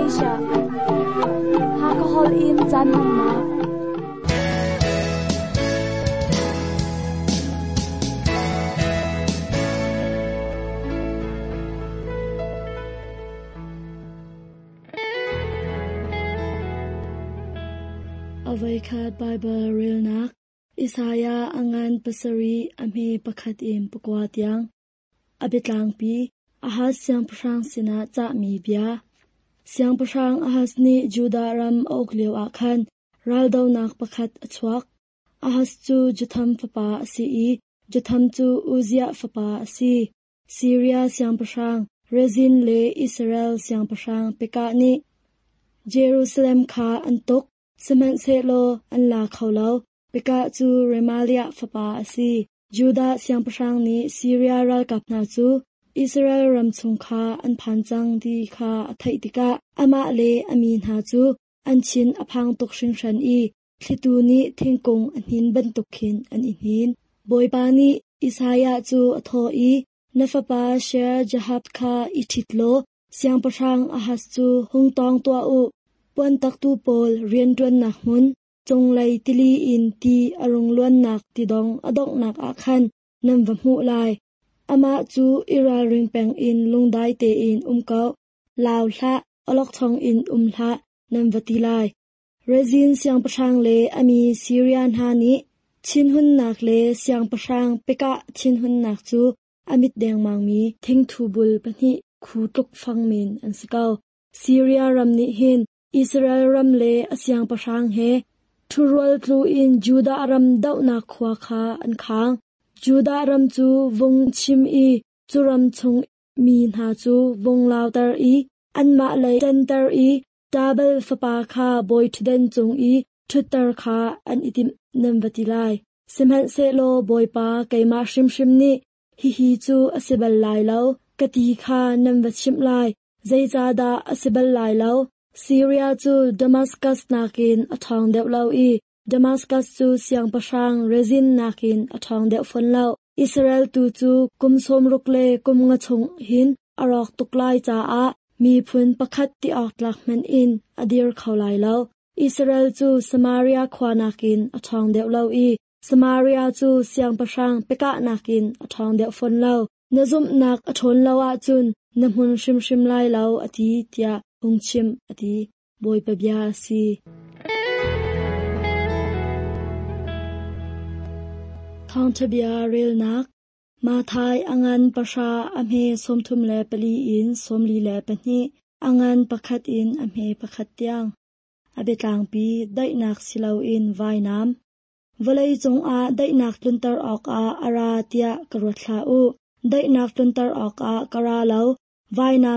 Asia. Hakha holh in caan hmannak. Avoikhat Baibal relnak Isaiah a ngan pasarih a hme pakhat in pakua tiang. A biatlangpi Ahaz siangpahrang sinah cahmi bia. Siangpahrang Ahaz nih Judah ram a uk lioah khan raldohnak pakhat a chuak. Ahaz cu Jotham fapa a si i Jotham cu Uzziah fapa a si. Siria siangpahrang Rezin le Israel siangpahrang Pekah nih Jerusalem kha an tuk, sihmanhsehlaw an la kho lo. Pekah cu Remaliah fapa a si. Judah siangpahrang nih Siria ralkap hna cu Israel ram chung kha an phan cang ti kha a theih tikah amah le a mi hna cu an thin a phang tuk hringhran i thlitu nih thingkung a hnin bantuk khin an i hnin. Bawipa nih Isaiah cu a thawh i, Na fapa Shear-jahab kha i ṭhit law siangpahrang Ahaz cu hung tawng tuah u. Puantaktu pawl rianṭuannak hmun, cunglei tili in ti a rung luannak tidong a donghnak ah khan nan va hmuh lai. Amah cu i ralring peng in lungdai tein um ko, lau hlah, awlokchong in um hlah, nan va ti lai. Rezin siangpahrang le a mi Siria hna nih thinhunnak le siangpahrang Pekah thinhunnak cu a mit dengmangmi thingthu bul pahnih khu tluk fang men an si ko. Siria ram nih hin Israel ram le a siangpahrang he ṭhurual tlu in Judah ram dohnak khua kha an khang. Judah ram cu vung chim i cu ram chung mi hna cu vung lauter i anmah lei ṭanter i Tabal fapa kha bawi ṭhutdan cung i ṭhutter kha an i timh nan va ti lai. Sihmanhsehlaw Bawipa keimah hrimhrim nih hihi cu a si bal lai lo, ka ti kha nan va chimh lai. Zeicahdah a si bal lai lo? Siria cu Damaskas nakin a ṭhawng deuh lo i Damaskas cu siangpahrang Rezin nakin a ṭhawng deuh fawn lo. Israel tu cu kum sawm ruk le kum nga chung hin a rawk tuk lai caah miphun pakhat ti awk tlak hmanh in a dir kho lai lo. Israel cu Samaria khua nakin a ṭhawng deuh lo i Samaria cu siangpahrang Pekah nakin a ṭhawng deuh fawn lo. Na zumhnak a ṭhawn lo ahcun na hmun hrimhrim lai lo, a ti, tiah hung chim, a ti. Bawipa bia a si. Thawngṭha bia relnak Matthai a ngan pahra a hme 34 in 42, a ngan pakhat in a hme pakhat tiang. A biatlangpi daihnak si loin vainam. Vawlei cungah daihnak tlunter awkah a ra tiah ka ruat hlah u. Daihnak tlunter awkah ka ra lo, vainam.